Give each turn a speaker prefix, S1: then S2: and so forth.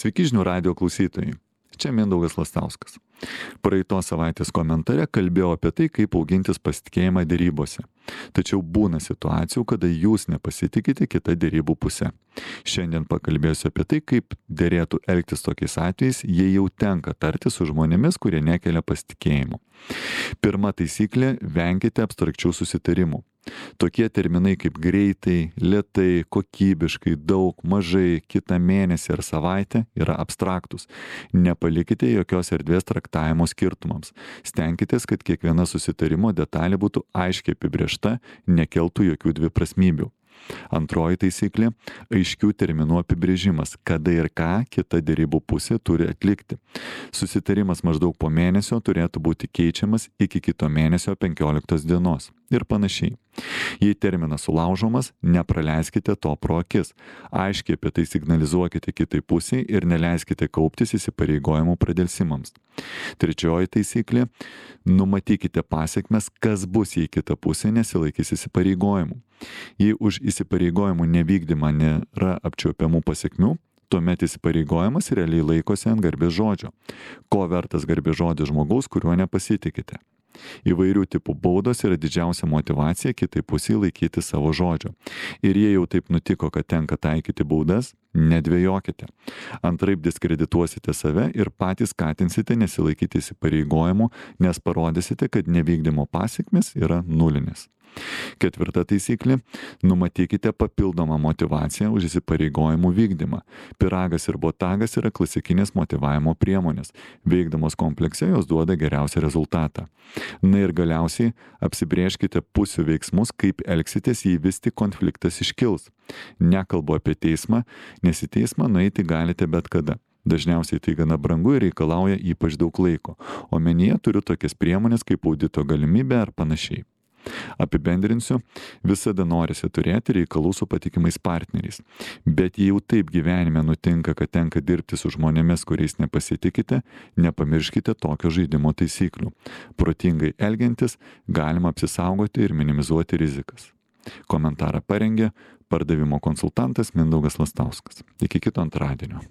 S1: Sveiki žinių radijo klausytojai. Čia Mindaugas Lastauskas. Praeitos savaitės komentare kalbėjau apie tai, kaip augintis pasitikėjimą derybose. Tačiau būna situacijų, kada jūs nepasitikite kitą derybų pusę. Šiandien pakalbėsiu apie tai, kaip derėtų elgtis tokiais atvejais, jei jau tenka tarti su žmonėmis, kurie nekelia pasitikėjimo. Pirma taisyklė – venkite abstrakčių susitarimų. Tokie terminai kaip greitai, lėtai, kokybiškai, daug, mažai, kitą mėnesį ar savaitę yra abstraktus. Nepalikite jokios erdvės traktavimo skirtumams. Stenkitės, kad kiekviena susitarimo detalė būtų aiškiai apibrėžta, nekeltų jokių dviprasmybių. Antroji taisyklė – aiškių terminų apibrėžimas, kada ir ką kita derybų pusė turi atlikti. Susitarimas maždaug po mėnesio turėtų būti keičiamas iki kito mėnesio 15 dienos ir panašiai. Jei terminas sulaužomas, nepraleiskite to pro akis. Aiškiai apie tai signalizuokite kitai pusiai ir neleiskite kauptis įsipareigojimų pradėlsimams. Trečioji taisyklė – numatykite pasiekmes, kas bus, jei kita pusė nesilaikys įsipareigojimų. Jei už įsipareigojimų nevykdymą nėra apčiuopiamų pasiekmių, tuomet įsipareigojimas realiai laikosi ant garbės žodžio. Ko vertas garbės žodis žmogaus, kuriuo nepasitikite? Įvairių tipų baudos yra didžiausia motyvacija kitai pusiai laikyti savo žodžio. Ir jei jau taip nutiko, kad tenka taikyti baudas, nedvejokite. Antraip diskredituosite save ir patys skatinsite nesilaikyti įsipareigojimų, nes parodysite, kad nevykdymo pasiekmes yra nulinės. Ketvirta taisyklė – numatykite papildomą motyvaciją už įsipareigojimų vykdymą. Pyragas ir botagas yra klasikinės motyvavimo priemonės. Veikdamos komplekse jos duoda geriausią rezultatą. Na ir galiausiai apsibrėžkite pusių veiksmus, kaip elgsitės, jei vis tik konfliktas iškils. Nekalbu apie teismą, nes į teismą nueiti galite bet kada. Dažniausiai tai gana brangu ir reikalauja ypač daug laiko. Omenyje turiu tokias priemonės kaip audito galimybė ar panašiai. Apibendrinsiu, visada norisi turėti reikalų su patikimais partneriais. Bet jei jau taip gyvenime nutinka, kad tenka dirbti su žmonėmis, kuriais nepasitikite, nepamirškite tokio žaidimo taisyklių. Protingai elgiantis galima apsisaugoti ir minimizuoti rizikas. Komentarą parengė pardavimo konsultantas Mindaugas Lastauskas. Iki kito antradienio.